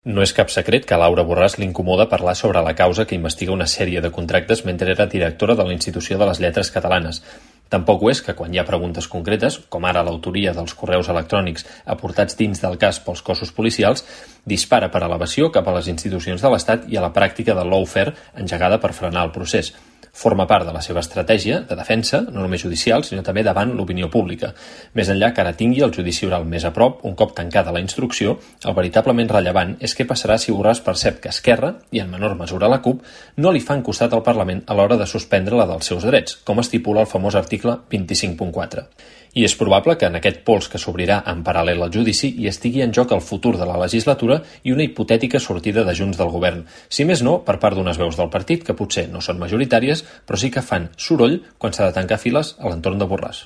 No és cap secret que a Laura Borràs l'incomoda parlar sobre la causa que investiga una sèrie de contractes mentre era directora de la Institució de les Lletres Catalanes. Tampoc ho és que quan hi ha preguntes concretes, com ara l'autoria dels correus electrònics aportats dins del cas pels cossos policials, dispara per elevació cap a les institucions de l'Estat i a la pràctica de lawfare engegada per frenar el procés. Forma part de la seva estratègia de defensa, no només judicial, sinó també davant l'opinió pública. Més enllà que ara tingui el judici oral més a prop, un cop tancada la instrucció, el veritablement rellevant és què passarà si Borràs percep que Esquerra, i en menor mesura la CUP, no li fan costat al Parlament a l'hora de suspendre-la dels seus drets, com estipula el famós article 25.4. I és probable que en aquest pols que s'obrirà en paral·lel al judici hi estigui en joc el futur de la legislatura i una hipotètica sortida de Junts del govern. Si més no, per part d'unes veus del partit que potser no són majoritàries, però sí que fan soroll quan s'ha de tancar files a l'entorn de Borràs.